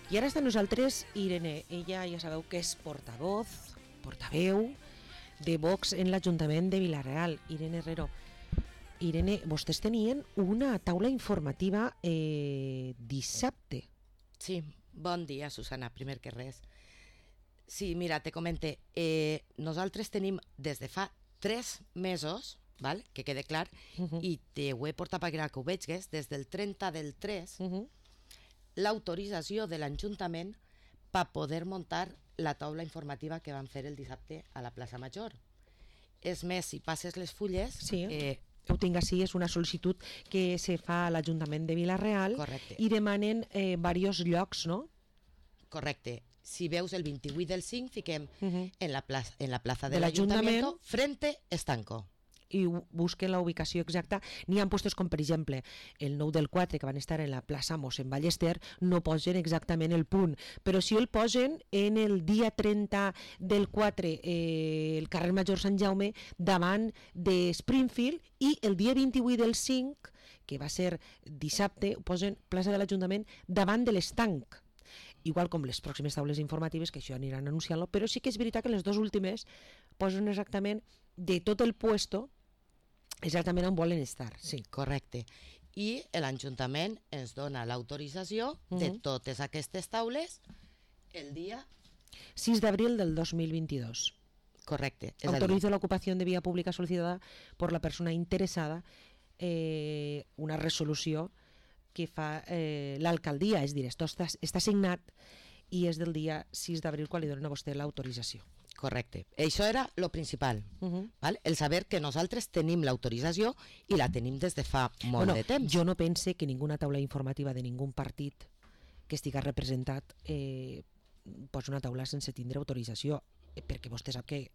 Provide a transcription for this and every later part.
I ara està amb nosaltres Irene. Ella ja sabeu que és portaveu de Vox en l'Ajuntament de Vila-real. Irene Herrero. Irene, vostès tenien una taula informativa dissabte. Sí, bon dia, Susana, primer que res. Sí, mira, te comente, nosaltres tenim des de fa 3 mesos, val? Que quede clar, i te ho he portat perquè ho veigues, des del 30 del 3, l'autorització de l'Ajuntament per poder muntar la taula informativa que van fer el dissabte a la plaça Major. És més, si passes les fulles... Sí, ho tinc així, és una sol·licitud que se fa a l'Ajuntament de Vila-real. Correcte. I demanen diversos llocs, no? Correcte. Si veus el 28 del 5, fiquem en la plaça de de l'Ajuntament, l'Ajuntament, frente Estanco. I busquen la ubicació exacta. N'hi ha puestos com, per exemple, el 9 del 4, que van estar en la plaça Mossèn Ballester, no posen exactament el punt, però si el posen en el dia 30 del 4, el carrer Major Sant Jaume, davant de Springfield, i el dia 28 del 5, que va ser dissabte, ho posen plaça de l'Ajuntament davant de l'Estanc. Igual com les pròximes taules informatives, que això aniran anunciant-lo, però sí que és veritat que les dues últimes posen exactament de tot el puesto exactament on volen estar. Sí. Correcte. I l'Ajuntament ens dona l'autorització de totes aquestes taules el dia 6 d'abril del 2022. correcte. Autorizo la ocupación de vía pública solicitada por la persona interesada, una resolució que fa l'alcaldia, és a dir, està signat i és del dia 6 d'abril quan li donen a vostè l'autorització. Correcte. Això era lo principal, val? El saber que nosaltres tenim l'autorització i la tenim des de fa molt de temps. Jo no pense que ninguna taula informativa de ningú partit que estiga representat posa una taula sense tindre autorització, perquè vostè sap que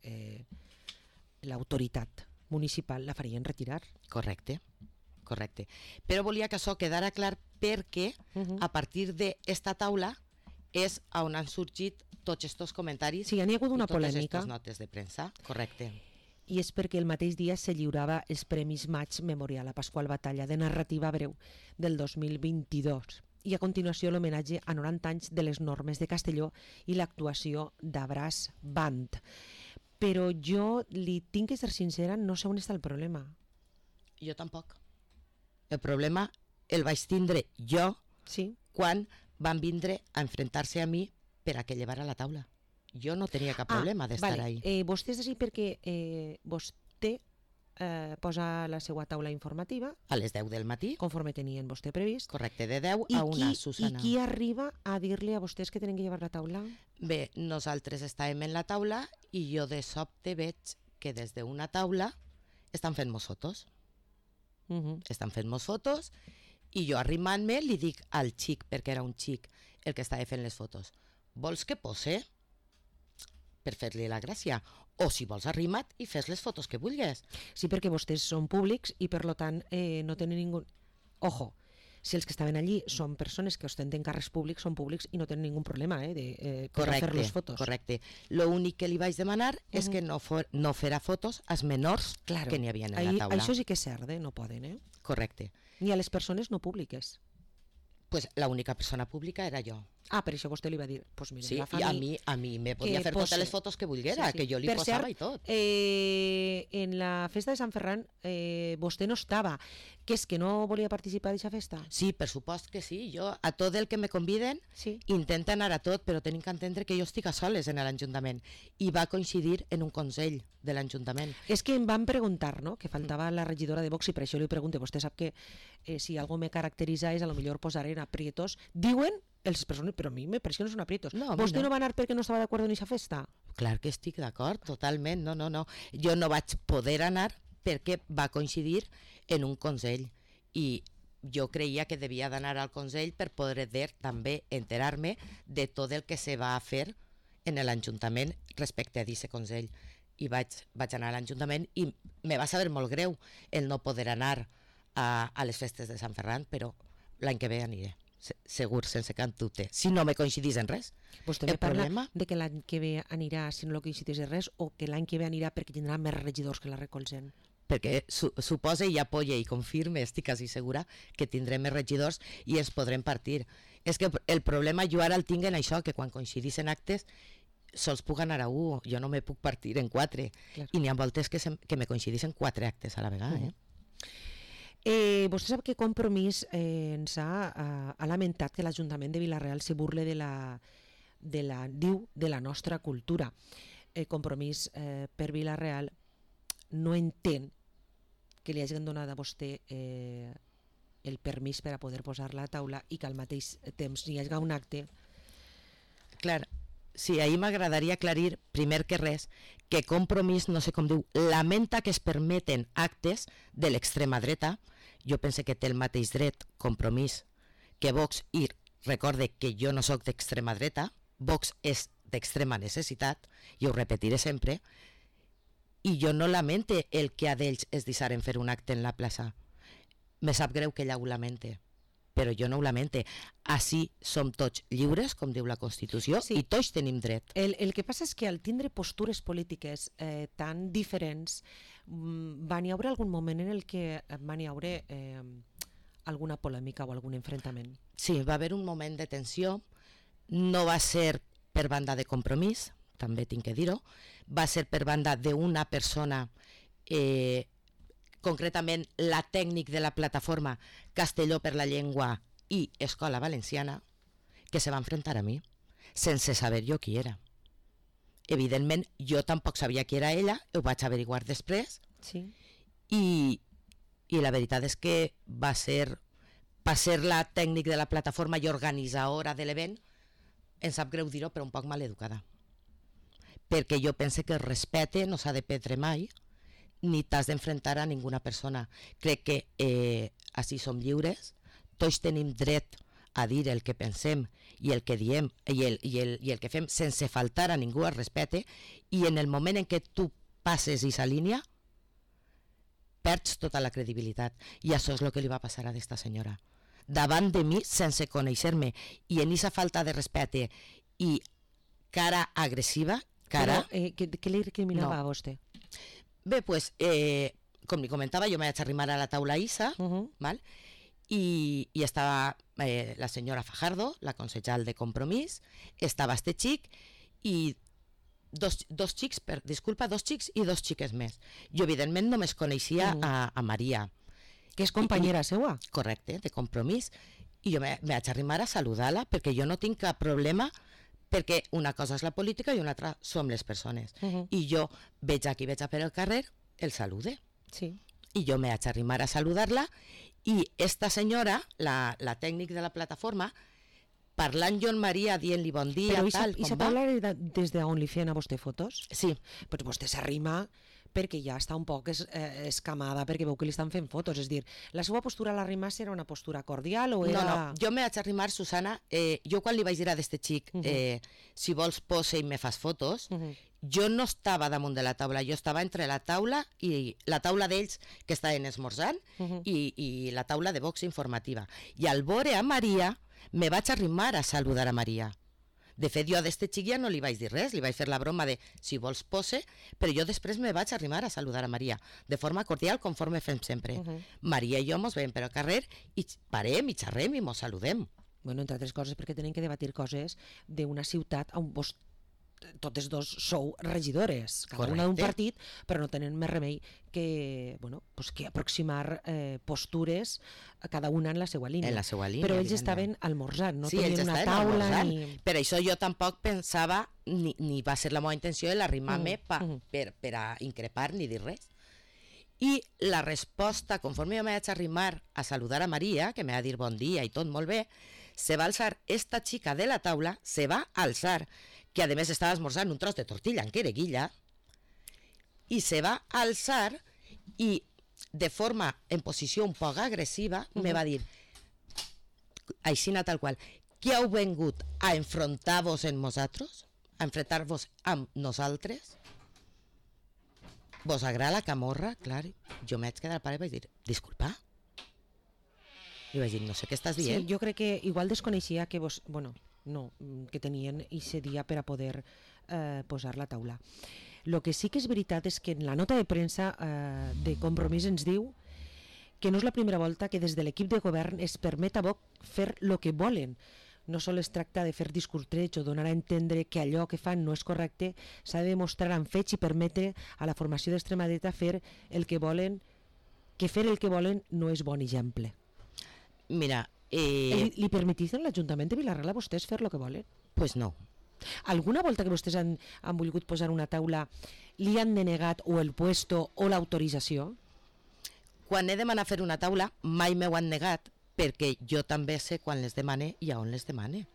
l'autoritat municipal la farien retirar. Correcte. Correcte. Però volia que això quedara clar perquè a partir d'esta taula és on han sorgit tots aquests comentaris, sí, hi ha hagut una i totes polèmica. aquestes notes de premsa. Correcte. I és perquè el mateix dia se lliurava els Premis Maig Memorial a Pasqual Batalla de narrativa breu del 2022 i a continuació l'homenatge a 90 anys de les normes de Castelló i l'actuació d'Abràs Band. Però jo li tinc que ser sincera, no sé on està el problema. Jo tampoc. El problema el vaig tindre jo quan van vindre a enfrontar-se a mi per a que llevara la taula. Jo no tenia cap problema d'estar ahí. Vostè és així perquè vostè posa la seva taula informativa a les 10 del matí, conforme tenien vostè previst. Correcte, de 10 a 1, Susana. I qui arriba a dir-li a vostès que tenen que llevar la taula? Bé, nosaltres estàvem en la taula i jo de sobte veig que des d'una taula estan fent-nos fotos. Estan fent-nos fotos i jo arrimant-me li dic al xic, perquè era un xic el que estava fent les fotos, vols que pose? Per fer-li la gràcia. O si vols arrima't i fes les fotos que vulguis. Sí, perquè vostès són públics i per lo tant no tenen ningú... Ojo, si els que estaven allí són persones que ostenten càrrecs públics, són públics i no tenen ningú problema de fer les fotos. Correcte. L'únic que li vaig demanar és que no fera fotos als menors que n'hi havia en la taula. Això sí que és cert, no poden, Correcte. Ni a les persones no públiques. Pues l'única persona pública era jo. Per això vostè li va dir, pues mira, sí, i a mi me podia fer totes les fotos que volguera, que jo li posava i tot. En la festa de Sant Ferran vostè no estava, que és que no volia participar d'aquesta festa? Sí, per supost que sí, jo a tot el que me conviden intento anar a tot, però tenim que entendre que jo estic a soles en l'Ajuntament i va coincidir en un consell de l'Ajuntament. És que em van preguntar, no?, que faltava la regidora de Vox i per això li pregunto, vostè sap que si algo me caracteritza és a lo millor posar en aprietos, diuen les persones, però a mi me pareix que no són aprietos. Vostè no va anar perquè no estava d'acord en aquesta festa? Clar que estic d'acord, totalment, no. Jo no vaig poder anar perquè va coincidir en un consell i jo creia que devia d'anar al consell per poder també enterar-me de tot el que se va fer en l'Ajuntament respecte a aquest consell. I vaig anar a l'Ajuntament i me va saber molt greu el no poder anar a les festes de Sant Ferran, però l'any que ve aniré. Segur, sense cap dubte, si no me coincidís en res. Vostè me parla de que l'any que ve anirà si no coincidís en res o que l'any que ve anirà perquè tindrà més regidors que la recolzen? Perquè suposa i apoya i confirme, estic quasi segura, que tindrem més regidors i ens podrem partir. És que el problema jo ara el tinc en això, que quan coincidissin actes sols puc anar a un, jo no me puc partir en 4, Clar. i n'hi ha voltes que me coincidissin 4 actes a la vegada. Vostè sap que Compromís ens ha lamentat que l'Ajuntament de Vila-real se burle de la nostra cultura. Compromís per Vila-real no entén que li hagin donat a vostè el permís per a poder posar-la a taula i que al mateix temps hi hagi un acte. Clar, sí, ahir m'agradaria aclarir, primer que res, que Compromís, no sé com diu, lamenta que es permeten actes de l'extrema dreta. Jo pense que té el mateix dret Compromís que Vox, i recorde que jo no sóc d'extrema dreta, Vox és d'extrema necessitat, i ho repetiré sempre, i jo no lamente el que a d'ells es deixaren fer un acte en la plaça. Me sap greu que ella ho lamente, però jo no ho lamente. Així som tots lliures, com diu la Constitució, Sí. i tots tenim dret. El que passa és que al tindre postures polítiques tan diferents van hi haure algun moment en el que van hi haure alguna polèmica o algun enfrontament. Sí, va haver un moment de tensió, no va ser per banda de Compromís, també tinc que dir-ho, va ser per banda d'una persona, concretament la tècnic de la plataforma Castelló per la Llengua i Escola Valenciana, que se va enfrontar a mi, sense saber jo qui era. Evidentment, jo tampoc sabia qui era ella, ho vaig averiguar després, Sí. i la veritat és que va ser la tècnic de la plataforma i organitzadora de l'event, em sap greu dir-ho, però un poc maleducada. Perquè jo pense que el respecte no s'ha de perdre mai, ni t'has d'enfrontar a ninguna persona. Crec que així som lliures, tots tenim dret a dir el que pensem i el que diem i el que fem sense faltar a ningú al respecte, i en el moment en què tu passes aquesta línia perds tota la credibilitat, i això és el que li va passar a aquesta senyora davant de mi, sense conèixer-me, i en aquesta falta de respecte i cara agressiva, cara... Però, què li recriminava No. a vostè? Bé, pues, com li comentava, jo me vaig arrimar a la taula ISA, val? I estava la senyora Fajardo, la concejal de Compromís, estava este xic i dos xics i dos xiques més. Jo, evidentment, només coneixia a Maria. Que és companyera seua. Correcte, de Compromís, i jo me vaig arrimar a saludar-la perquè jo no tinc cap problema, perquè una cosa és la política i una altra som les persones. I jo veig a qui veig per el carrer, el salude. Sí. I jo me vaig arrimar a saludar-la, i esta senyora, la tècnic de la plataforma, parlant jo en Maria, dient-li bon dia, Però tal, i com va? taula era des d'on li feien a vostè fotos? Sí, Però vostè s'arrima perquè ja està un poc escamada, perquè veu que li estan fent fotos. És dir, la seva postura a l'arrimar-se era una postura cordial o era... no, jo me vaig arrimar, Susana, jo quan li vaig dir a d'este xic, si vols posa i me fas fotos, jo no estava damunt de la taula, jo estava entre la taula i la taula d'ells que estaven esmorzant i la taula de Vox informativa. I al veure a Maria, me vaig arrimar a saludar a Maria. De fet, jo a d'este xic ja no li vaig dir res, li vaig fer la broma de si vols pose, però jo després me vaig arrimar a saludar a Maria, de forma cordial, conforme fem sempre. Maria i jo mos veiem per al carrer i parem i xerrem i mos saludem. Bueno, entre altres coses perquè tenen que debatir coses d'una ciutat on vos totes dos sou regidores, cada una d'un Correcte. partit, però no tenen més remei que, bueno, pues que aproximar postures a cada una en la seva línia. En la seva línia, Però ells evidentment. estaven almorzant, no Sí, tenien ells una estaven taula almorzant. ni... Per això jo tampoc pensava, ni va ser la meva intenció l'arrimar-me per a increpar ni dir res. I la resposta, conforme jo me vaig arrimar a saludar a Maria, que me va dir bon dia i tot molt bé, se va alçar esta xica de la taula, se va alçar, que a més estava esmorzant un tros de tortilla en quereguilla, i se va alçar i de forma, en posició un poc agressiva, me va dir, aixina tal qual, que heu vengut a enfrontar-vos en nosaltres? A enfrontar-vos amb nosaltres? Vos agrada la camorra? Clar, jo m'haig quedat al pare i vaig dir, disculpa? I vaig dir, no sé què estàs Sí, dient. jo crec que igual desconeixia que vos... Bueno, no, que tenien ese dia per a poder posar la taula. Lo que sí que és veritat és que en la nota de premsa de Compromís ens diu que no és la primera volta que des de l'equip de govern es permet a Vox fer el que volen. no sols es tracta de fer discurtreig o donar a entendre que allò que fan no és correcte, s'ha de demostrar amb fets i permetre a la formació d'extrema dreta fer el que volen, que fer el que volen no és bon exemple. Mira, Li permetís en l'Ajuntament de Vila-real a vostès fer el que volen? pues no. Alguna volta que vostès han volgut posar una taula li han denegat o el puesto o l'autorització? Quan he demanat fer una taula mai m'ho han negat, perquè jo també sé quan les demane i a on les demane.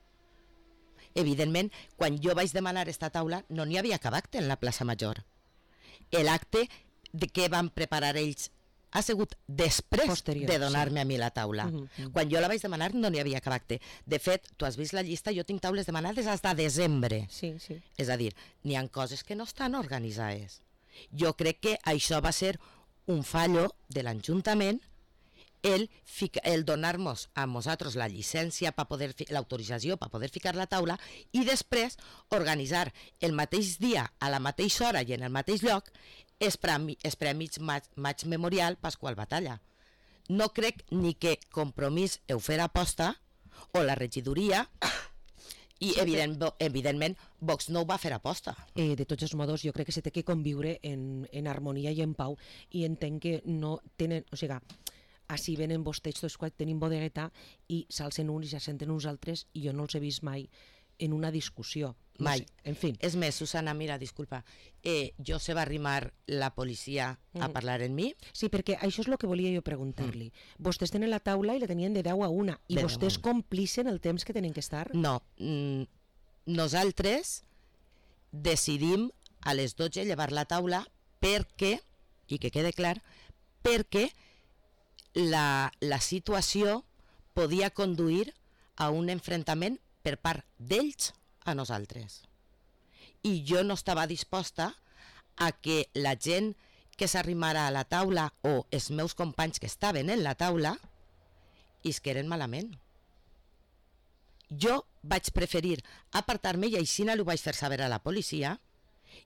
Evidentment, quan jo vaig demanar esta taula no n'hi havia cap acte en la plaça Major. L'acte que van preparar ells ha sigut després posterior, de donar-me a mi la taula. Quan jo la vaig demanar no n'hi havia cap acte. De fet, tu has vist la llista, jo tinc taules demanades fins a desembre. Sí. És a dir, n'hi ha coses que no estan organitzades. Jo crec que això va ser un fallo de l'Ajuntament el donar-nos a nosaltres la llicència, l'autorització per poder ficar la taula i després organitzar el mateix dia, a la mateixa hora i en el mateix lloc els Premis Maig Memorial Pasqual Batalla. No crec ni que Compromís ho fera aposta o la regidoria i evidentment Vox no ho va fer aposta. De tots els modos, jo crec que se té que conviure en harmonia i en pau i entenc que no tenen... O sigui, així venen vostès tots quan tenim bodegueta i s'alcen uns i s'assenten uns altres i jo no els he vist mai en una discussió. Mai. No sé, en fi. És més, Susana, mira, disculpa, jo se va arrimar la policia a parlar amb mi. Sí, perquè això és el que volia jo preguntar-li. Vostès tenen la taula i la tenien de 10 a 1 i vostès complixen el temps que tenen que estar? No, nosaltres decidim a les 12 llevar la taula perquè, i que quede clar, perquè la situació podia conduir a un enfrontament per part d'ells a nosaltres. I jo no estava disposta a que la gent que s'arrimara a la taula o els meus companys que estaven en la taula isqueren malament. Jo vaig preferir apartar-me i així ho vaig fer saber a la policia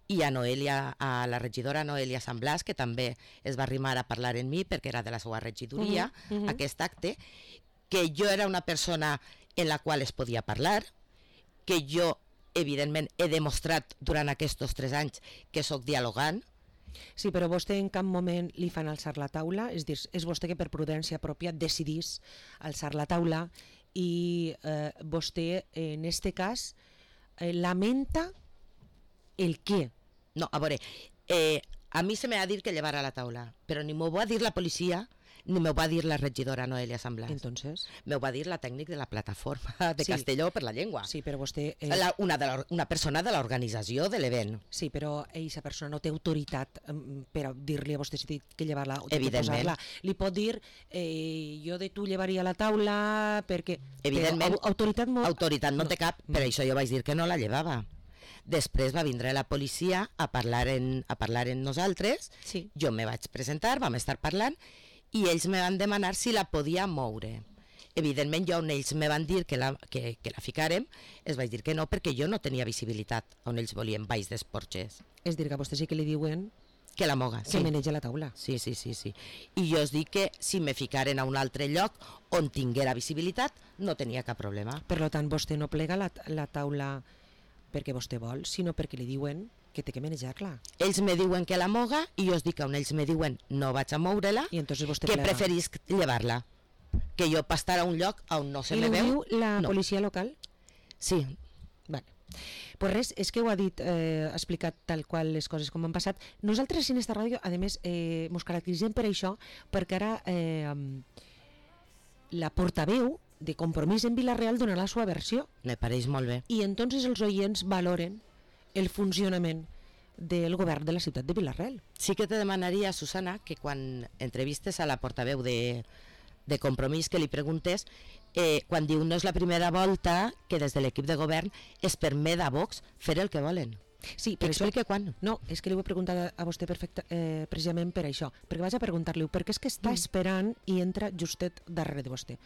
i a Noelia, a la regidora Noelia San Blas, que també es va arrimar a parlar amb mi perquè era de la seva regidoria, aquest acte, que jo era una persona en la qual es podia parlar, que jo, evidentment, he demostrat durant aquests 3 anys que sóc dialogant. Sí, però vostè en cap moment li fan alçar la taula? És dir, és vostè que per prudència pròpia decidís alçar la taula i vostè, en este cas, lamenta el què? No, a veure, a mi se m'ha dit que llevara la taula, però ni m'ho va dir la policia ni m'ho va dir la regidora Noelia San Blas. Entonces? M'ho va dir la tècnic de la plataforma de Castelló per la llengua. Sí, però vostè... Una persona de l'organització de l'event. Sí, però aquesta persona no té autoritat per dir-li a vostè si té que llevar-la o té que Evidentment. posar-la. Li pot dir, jo de tu llevaria la taula perquè... Evidentment. Però autoritat no té cap, per això jo vaig dir que no la llevava. Després va vindre la policia a parlar en nosaltres, Sí. jo me vaig presentar, vam estar parlant, i ells me van demanar si la podia moure. Evidentment, jo on ells me van dir que la ficàrem, es vaig dir que no, perquè jo no tenia visibilitat on ells volien baix dels porxes. És dir, que a vostè sí que li diuen Que la moga, que sí. maneja la taula. Sí. I jo us dic que si me ficaren a un altre lloc on tinguera visibilitat, no tenia cap problema. Per tant, vostè no plega la taula perquè vostè vol, sinó perquè li diuen que té que manejar-la. Ells me diuen que la moga i jo us dic que on ells me diuen no vaig a moure-la, I entonces vostè que plega. preferís llevar-la. Que jo per estar a un lloc on no se I me ho veu... diu la no. policia local? Sí, Vale. Pues res, és que ho ha dit, ha explicat tal qual les coses com han passat. Nosaltres en esta ràdio, a més, mos caracteritzem per això, perquè ara la portaveu de Compromís en Vila-real donarà la seva versió. me pareix molt bé. I entonces els oients valoren el funcionament del govern de la ciutat de Vila-real. Sí que te demanaria, Susana, que quan entrevistes a la portaveu de Compromís que li preguntes, quan diu no és la primera volta que des de l'equip de govern es permet a Vox fer el que volen. Sí, Que per això... explique quan. No, és que li ho he preguntat a vostè precisament per això, perquè vaig a preguntar-li perquè és que està esperant i entra justet darrere de vostè.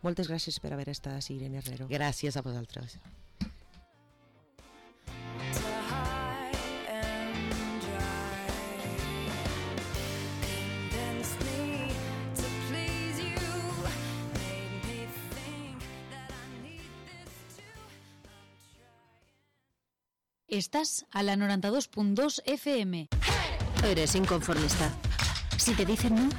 Moltes gràcies per haver estat a Irene Herrero. Gràcies a vosaltres. Estás a la 92.2 FM. Eres inconformista. Si te dicen no,